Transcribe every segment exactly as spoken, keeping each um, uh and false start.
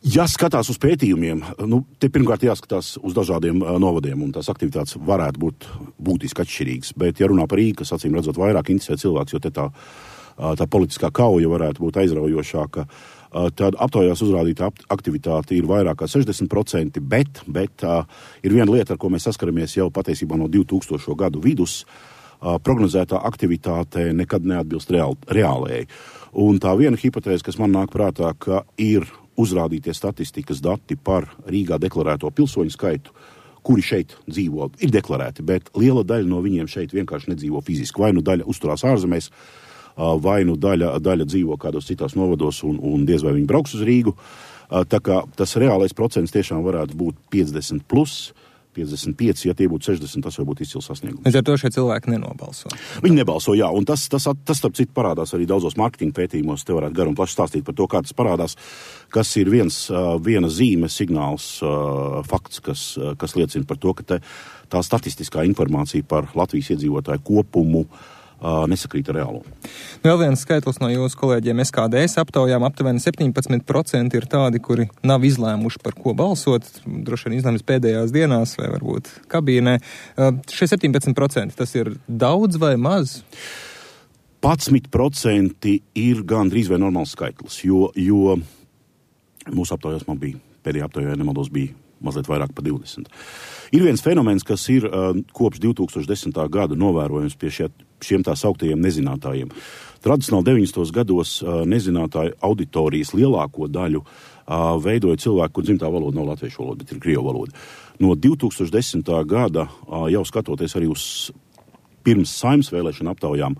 Ja skatās uz pētījumiem, nu, te pirmkārt jāskatās uz dažādiem uh, novadiem, un tās aktivitātes varētu būt būtiski atšķirīgas, bet ja runā par Rīgu, kas acīm redzot vairāk interesē cilvēks, jo te tā, uh, tā politiskā kauja varētu būt aizraujošāka, uh, tad aptaujās uzrādīta aktivitāte ir vairāk kā sešdesmit procenti, bet, bet uh, ir viena lieta, ar ko mēs saskaramies jau patiesībā no divtūkstošo gadu vidus, uh, prognozētā aktivitāte nekad neatbilst reāl, reālējai. Un tā viena hipotēze, kas man nāk prātā, ka ir uzrādītie statistikas dati par Rīgā deklarēto pilsoņu skaitu, kuri šeit dzīvo, ir deklarēti, bet liela daļa no viņiem šeit vienkārši nedzīvo fiziski. Vai nu daļa uzturās ārzemēs, vai nu daļa, daļa dzīvo kādos citās novados un, un diez vai viņi brauks uz Rīgu. Tā kā tas reālais procents tiešām varētu būt piecdesmit plus, piecdesmit pieci, ja tie būtu sešdesmit, tas var būt izcils sasniegums. Līdz ar to šie cilvēki nenobalso. Viņi nebalso, jā, un tas, tas, tas starp citu parādās arī daudzos mārketinga pētījumos, te varētu garu un plaši stāstīt par to, kā tas parādās, kas ir viens, viena zīme, signāls, fakts, kas, kas liecina par to, ka te, tā statistiskā informācija par Latvijas iedzīvotāju kopumu nesakrīt ar reālo. Vēl viens skaitlis no jūsu kolēģiem S K D S aptaujām aptuveni septiņpadsmit procenti ir tādi, kuri nav izlēmuši par ko balsot, droši vien izlēmas pēdējās dienās vai varbūt kabīnē. Šie septiņpadsmit procenti, tas ir daudz vai maz? padsmit procenti ir gandrīz vai normāls skaitlis, jo, jo mūsu aptaujās man bija, pēdējā aptaujā nemaldos bija mazliet vairāk par divdesmit. Ir viens fenomens, kas ir uh, kopš divtūkstoš desmitā gada novērojams pie šie, šiem tā sauktajiem nezinātājiem. Tradicionāli deviņdesmitos gados uh, nezinātāju auditorijas lielāko daļu uh, veidoja cilvēki, kur dzimtā valoda nav latviešu valoda, bet ir krievu valoda. No divtūkstoš desmitā gada, uh, jau skatoties arī uz pirms Saeimas vēlēšana aptaujām,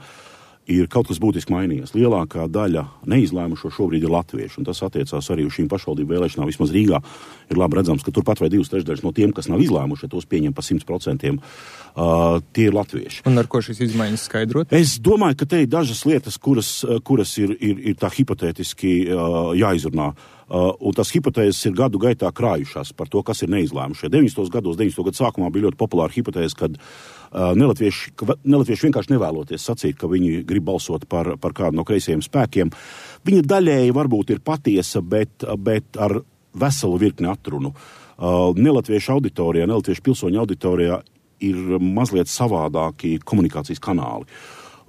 ir kaut kas būtiski mainījies. Lielākā daļa neizlēmušo šobrīd ir latvieši, un tas attiecās arī uz šīm pašvaldību vēlēšanām. Vismaz Rīgā ir labi redzams, ka turpat vai divas trešdaļas no tiem, kas nav izlēmuši, tos pieņem pa simt procentiem, uh, tie ir latvieši. Un ar ko šīs izmaiņas skaidrot? Es domāju, ka te ir dažas lietas, kuras, kuras ir, ir, ir tā hipotētiski uh, jāizrunā. Uh, un tas hipotēzes ir gadu gaitā krājušās par to, kas ir neizlēmušie. deviņdesmitos gados, deviņdesmito gadu sākumā bija ļoti populāra hipotēze, kad uh, nelatvieši, ka nelatvieši vienkārši nevēloties sacīt, ka viņi grib balsot par, par kādu no kreisajiem spēkiem. Viņa daļēji varbūt ir patiesa, bet, bet ar veselu virkni atrunu. Uh, nelatviešu auditorijā, nelatviešu pilsoņu auditorijā ir mazliet savādāki komunikācijas kanāli.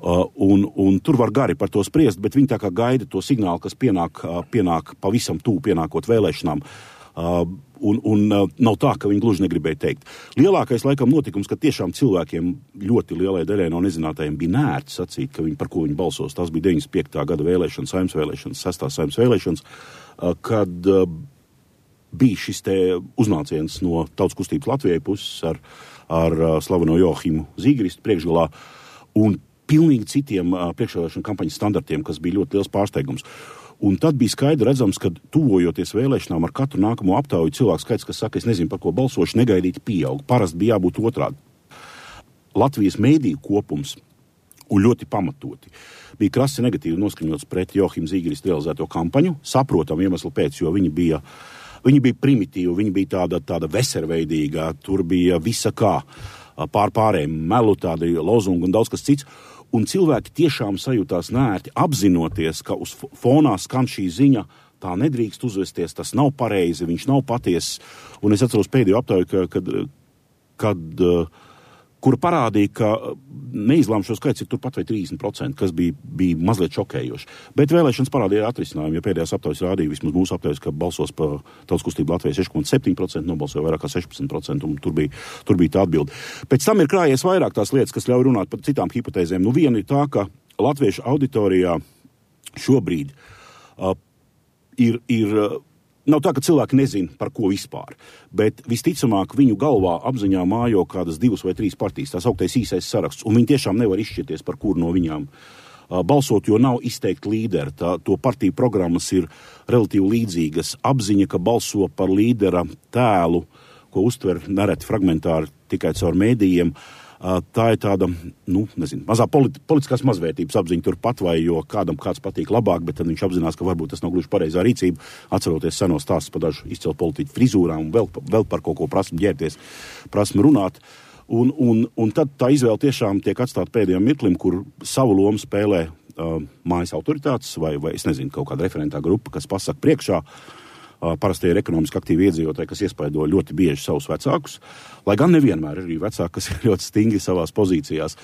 Uh, un, un tur var gari par to spriest, bet viņi tā kā gaida to signālu, kas pienāk, uh, pienāk pavisam tūp pienākot vēlēšanām. Uh, un un uh, nav tā, ka viņi gluži negribēja teikt. Lielākais laikam notikums, ka tiešām cilvēkiem ļoti lielai daļai no nezinātājiem bija nērti sacīt, ka viņi par ko viņi balsos. Tas bija deviņdesmit piektā gada vēlēšanas, Saeimas vēlēšanas, sestās Saeimas vēlēšanas, uh, kad uh, bija šis te uznāciens no Tautas kustības Latvijai puses ar, ar uh, slaveno Joahimu Zīgeristu priekšgalā un pilnīgi citiem uh, priekšvēlēšanu kampaņas standartiem, kas bija ļoti liels pārsteigums. Un tad bija skaidri redzams, ka tuvojoties vēlēšanām ar katru nākamo aptauju cilvēku skaits, kas saka, es nezinu, par ko balsošu, negaidīti pieaug. Parasti bija jābūt otrādi. Latvijas mēdīju kopums, un ļoti pamatoti, bija krasi negatīvi noskaņots pret Joahimu Zīgeristu realizēto kampaņu, saprotam iemeslu pēc, jo viņi bija, viņi bija primitīvi, viņi bija tāda, tāda veserveidīga, tur bija visa kā pār pārējiem melu, tādi lozungi un daudz kas cits. Un cilvēki tiešām sajūtās nērti, apzinoties, ka uz fonā skan šī ziņa, tā nedrīkst uzvesties, tas nav pareizi, viņš nav patiess. Un es atceros pēdējo aptauju, ka, kad, kad, kura parādīja, ka neizlēmušo skaits ir turpat vai trīsdesmit procenti, kas bija, bija mazliet šokējoši. Bet vēlēšanas parādīja atrisinājumu, jo pēdējās aptaujas rādīja, vismaz mūsu aptaujas, ka balsos pa Tautas kustību Latvijai seši komats septiņi procenti, nobalsoja vairāk kā sešpadsmit procenti, un tur bija, tur bija tā atbilde. Pēc tam ir krājies vairāk tās lietas, kas ļauj runāt par citām hipotēzēm. Nu, viena ir tā, ka latviešu auditorijā šobrīd uh, ir, ir uh, nav tā, ka cilvēki nezina, par ko vispār, bet visticamāk viņu galvā apziņā mājo kādas divas vai trīs partijas, tās augtais īsais saraksts, un viņi tiešām nevar izšķirties, par kuru no viņām uh, balsot, jo nav izteikti līderi. Tā, to partiju programmas ir relatīvi līdzīgas. Apziņa, ka balso par līdera tēlu, ko uztver nereti fragmentāri tikai caur mēdījiem, tā ir tāda, nu, nezinu, mazā politi- politiskās mazvērtības apziņa turpat, vai jo kādam kāds patīk labāk, bet tad viņš apzinās, ka varbūt tas nav gluži pareizā rīcība, atceroties senos stāstus par dažu izcilu politiķu frizūrām un vēl, vēl par kaut ko prasmu ģērties, prasmu runāt. Un, un, un tad tā izvēle tiešām tiek atstāta pēdējām mirklim, kur savu lomu spēlē uh, mājas autoritātes vai, vai, es nezinu, kaut kāda referentā grupa, kas pasaka priekšā, parastie ir ekonomiski aktīvi iedzīvotāji, kas iespaido ļoti bieži savus vecākus, lai gan nevienmēr ir arī vecāki, kas ir ļoti stingri savās pozīcijās.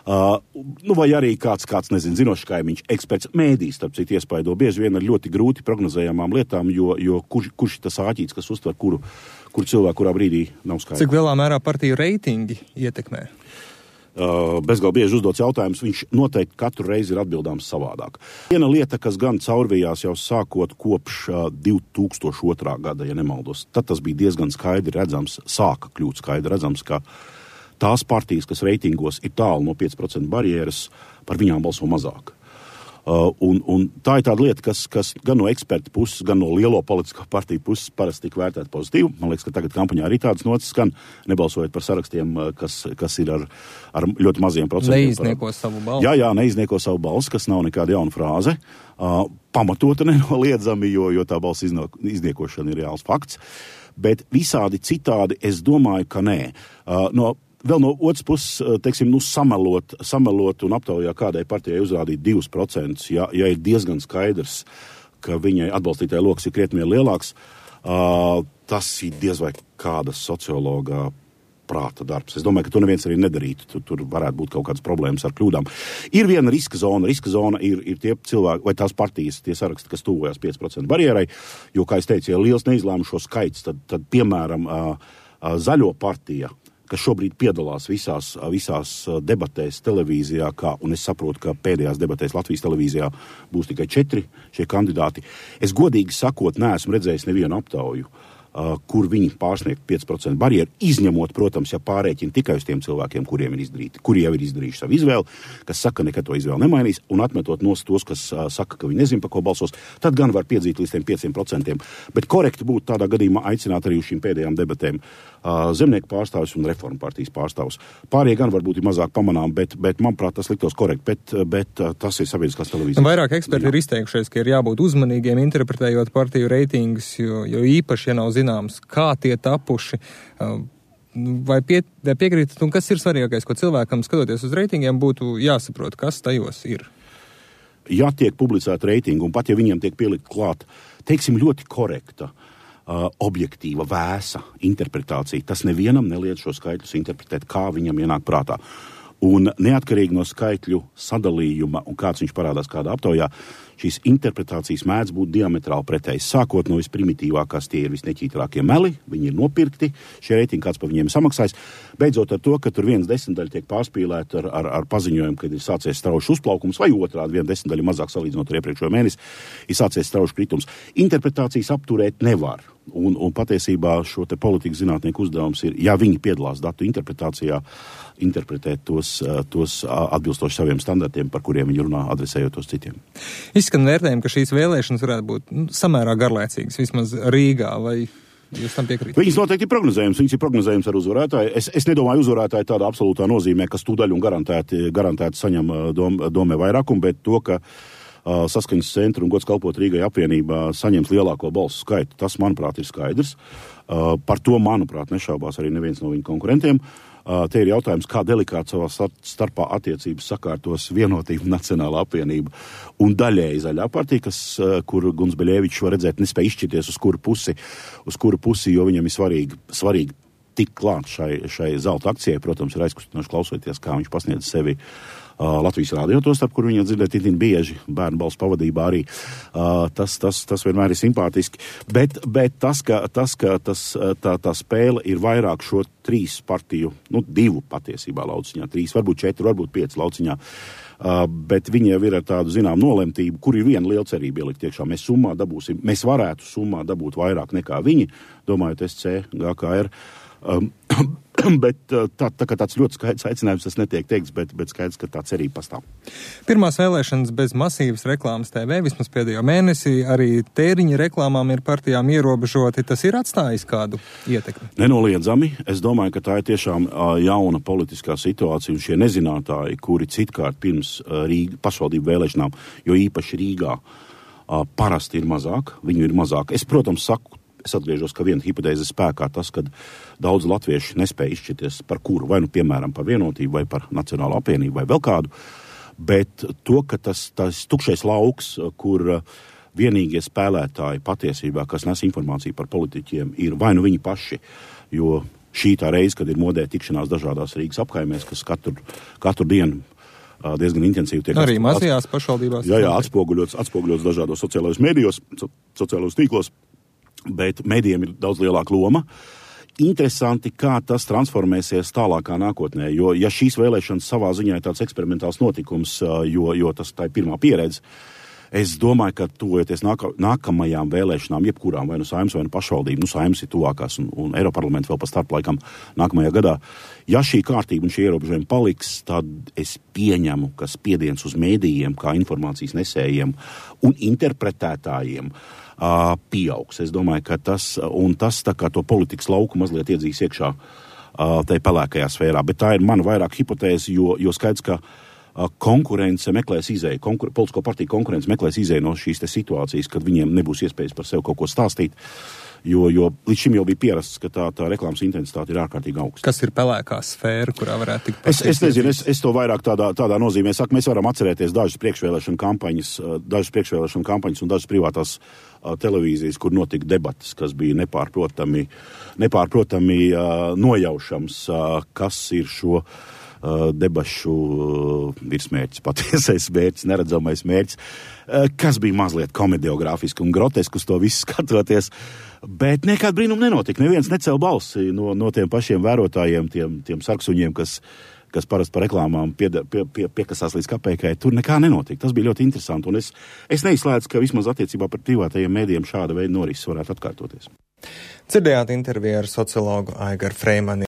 Uh, nu vai arī kāds, kāds nezinu, zinošs kaimiņš, eksperts, mēdīs, starp citu, iespaido bieži vien ar ļoti grūti prognozējamām lietām, jo, jo kurš, kurš tas āķīts, kas uztver kuru, kuru cilvēku, kurā brīdī nav skaidrs. Cik lielā mērā partiju reitingi ietekmē? Uh, bezgalīgi bieži uzdots jautājums, viņš noteikti katru reizi ir atbildāms savādāk. Viena lieta, kas gan caurvījās jau sākot kopš uh, divi tūkstoši otrā gada, ja nemaldos, tad tas bija diezgan skaidri redzams, sāka kļūt skaidri redzams, ka tās partijas, kas reitingos ir tālu no pieci procenti barjeras, par viņām balso mazāk. Uh, un, un tā ir tāda lieta, kas, kas gan no eksperta puses, gan no lielo politisko partiju puses parasti tika vērtēta pozitīvi. Man liekas, ka tagad kampaņā arī tādas nocis skan, nebalsojot par sarakstiem, kas, kas ir ar, ar ļoti maziem procentiem. Neiznieko savu balsi. Jā, jā, neiznieko savu balsi, kas nav nekāda jauna frāze. Uh, pamatota nenoliedzami, jo, jo tā balss izniekošana ir reāls fakts. Bet visādi citādi es domāju, ka nē. Uh, no Vēl no otras puses, teiksim, nu, samelot, samelot un aptaujā kādai partijai uzrādīt divus procentus, ja, ja ir diezgan skaidrs, ka viņai atbalstītāja loks ir krietni lielāks, uh, tas ir diez vai kāda sociologa prāta darbs. Es domāju, ka to neviens arī nedarītu. Tur, tur varētu būt kaut kādas problēmas ar kļūdām. Ir viena riska zona. Riska zona ir, ir tie cilvēki, vai tās partijas, tie saraksti, kas tuvojas pieci procenti barjerai, jo, kā es teicu, ja liels neizlēmušo skaits, tad, tad piemēram, uh, uh, zaļo partija, kas šobrīd piedalās visās, visās debatēs televīzijā, kā, un es saprotu, ka pēdējās debatēs Latvijas televīzijā būs tikai četri šie kandidāti. Es godīgi sakot, neesmu redzējis nevienu aptauju, uh, kur viņi pārsniegt pieci procenti barjeru, izņemot, protams, ja pārēķina tikai uz tiem cilvēkiem, kuriem ir izdarīti, kuri jau ir izdarījuši savu izvēli, kas saka, nekad to izvēli nemainīs, un atmetot nos tos, kas uh, saka, ka viņi nezin, pa ko balsos, tad gan var piedzīt līdz tiem pieciem procentiem. Bet korekti būtu tādā gadījumā aicināt arī uz šīm pēdējām debatēm Uh, zemnieku pārstāvis un reformu partijas pārstāvis. Pārējie gan varbūt ir mazāk pamanām, bet, bet manuprāt, tas liktos korekti, bet, bet uh, tas ir sabiedriskās televīzijas. Vairāk eksperti ir izteikušies, ka ir jābūt uzmanīgiem interpretējot partiju reitingus, jo, jo īpaši, ja nav zināms, kā tie tapuši, uh, vai, pie, vai piekrītat, un kas ir svarīgākais, ko cilvēkam skatoties uz reitingiem būtu jāsaprot, kas tajos ir? Ja tiek publicēta reitingu, un pat ja viņiem tiek pielikt klāt, teiksim, ļoti korekta, Uh, objektīva, vēsa interpretācija. Tas nevienam neliedz šo skaitļus interpretēt, kā viņam ienāk prātā. Un neatkarīgi no skaitļu sadalījuma un kāds viņš parādās kādā aptaujā, šīs interpretācijas mēdz būt diametrāli pretējas. Sākot no visprimitīvākās, tie ir visneķītrākie meli, viņi ir nopirkti, šie reitingi kāds par viņiem samaksājis. Beidzot ar to, ka tur viens desmitdaļa tiek pārspīlēta ar, ar, ar paziņojumu, kad ir sācies straušs uzplaukums, vai otrādi viena desmitdaļa mazāk salīdzinot ar iepriekšējo mēnesi, ir sācies straušs kritums. Interpretācijas apturēt nevar. Un, un patiesībā šo te politikas zinātnieku uzdevums ir, ja viņi piedalās datu interpretācijā, interpretēt tos, tos atbilstoši saviem standartiem, par kuriem viņi runā, adresējot tos citiem. Izskan vērtējumi, ka šīs vēlēšanas varētu būt nu, samērā garlaicīgas, vismaz Rīgā, vai jūs tam piekrītat? Viņas noteikti ir prognozējums, viņas ir prognozējums ar uzvarētāju. Es, es nedomāju uzvarētāju tādā absolūtā nozīmē, kas tūdaļ un garantēti, garantēti saņem dom, domē vairākumu, bet to, ka Uh, Saskaņas centra un Gods kalpot Rīgai apvienībā saņems lielāko balsu skaitu. Tas, manuprāt, ir skaidrs. Uh, par to, manuprāt, nešaubās arī neviens no viņu konkurentiem. Uh, te ir jautājums, kā delikāti savā starpā attiecības sakārtos Vienotība Nacionālā apvienība un daļēji Zaļā partija, kas, uh, kur Guns Beļevičs var redzēt, nespēja izšķirties uz kuru pusi, uz kuru pusi, jo viņam ir svarīgi, svarīgi tik klāt šai, šai zelta akcijai. Protams, ir aizkustinoši klausoties, kā viņš pasniedz sevi Uh, Latvijas rādio to starp, kur viņa dzirdēt itin bieži, bērnu balss pavadībā arī. Uh, tas, tas, tas vienmēr ir simpātiski. Bet, bet tas, ka, tas, ka tas, tā, tā spēle ir vairāk šo trīs partiju, nu, divu patiesībā lauciņā, trīs, varbūt četri, varbūt pieci lauciņā. Uh, bet viņi jau ir ar tādu, zinām, nolemtību, kur ir viena liela cerība ielikt iekšā. Mēs summā dabūsim, mēs varētu summā dabūt vairāk nekā viņi, domājot S C, G K R. Um, bet tā, tā kā tāds ļoti skaidrs aicinājums, tas netiek teikts, bet, bet skaidrs, ka tā cerība pastāv. Pirmās vēlēšanas bez masīvas reklāmas T V, vismaz pēdējo mēnesī, arī tēriņa reklāmām ir partijām ierobežoti. Tas ir atstājis kādu ietekmi? Nenoliedzami. Es domāju, ka tā ir tiešām uh, jauna politiskā situācija, un šie nezinātāji, kuri citkārt pirms uh, Rīga, pašvaldību vēlēšanām, jo īpaši Rīgā, uh, parasti ir mazāk, viņu ir mazāk. Es, protams, saku, Es atgriežos, ka viena hipotēze spēkā tas, ka daudz latvieši nespēja izšķirties par kuru, vai nu, piemēram, par Vienotību, vai par Nacionālo apvienību, vai vēl kādu, bet to, ka tas, tas tukšais lauks, kur vienīgie spēlētāji patiesībā, kas nes informāciju par politiķiem, ir vai nu viņi paši, jo šī tā reize, kad ir modē tikšanās dažādās Rīgas apkaimēs, kas katru, katru dienu diezgan intensīvi tiek arī mazajās pašvaldībās. Jā, jā, atspoguļots, atspoguļots dažādos sociālajos medijos, so, sociālajos tīklos, bet medijiem ir daudz lielāka loma. Interesanti, kā tas transformēsies tālākā nākotnē, jo ja šīs vēlēšanas savā ziņā ir tāds eksperimentāls notikums, jo, jo tas tā ir pirmā pieredze, es domāju, ka tuvojoties nāka, nākamajām vēlēšanām, jebkurām, vai nu Saeimas, vai nu pašvaldību, nu Saeimas ir tuvākās un, un Eiroparlamenta vēl pa starplaikam nākamajā gadā. Ja šī kārtība un šie ierobežojumi paliks, tad es pieņemu, ka spiediens uz mēdījiem, kā informācijas nesējiem un interpretētājiem uh, pieaugs. Es domāju, ka tas, un tas tā kā to politikas lauku mazliet iedzīs iekšā uh, tai pelēkajā sfērā, bet tā ir mana vairāk hipotēze, jo, jo skaidrs, ka konkurence meklēs izēju, konkur- politisko partiju konkurence meklēs izēju no šīs te situācijas, kad viņiem nebūs iespējas par sevi kaut ko stāstīt, jo, jo līdz šim jau bija pierasts, ka tā, tā reklāmas intensitāte ir ārkārtīgi augsta. Kas ir pelēkā sfēra, kurā varētu tikt es, es nezinu, es, es to vairāk tādā, tādā nozīmē saku, mēs varam atcerēties dažas priekšvēlēšana kampaņas, dažas priekšvēlēšana kampaņas un dažas privātās uh, televīzijas, kur notika debatas, kas bija nepārprotami, nepārprotami uh, nojaušams, uh, kas ir šo debašu virsmērķis, patiesais mērķis, neredzamais mērķis, kas bija mazliet komediogrāfiski un groteski uz to visu skatoties, bet nekāda brīnuma nenotika. Neviens necēla balsi no, no tiem pašiem vērotājiem, tiem, tiem sarksuņiem, kas, kas parasti par reklāmām pie, pie, pie, piekasās līdz kapeikai. Tur nekā nenotika. Tas bija ļoti interesanti, un es, es neizslēdzu, ka vismaz attiecībā par privātajiem mēdījiem šāda veida norises varētu atkārtoties. Dzirdējāt interviju ar sociologu Aigaru Freimani.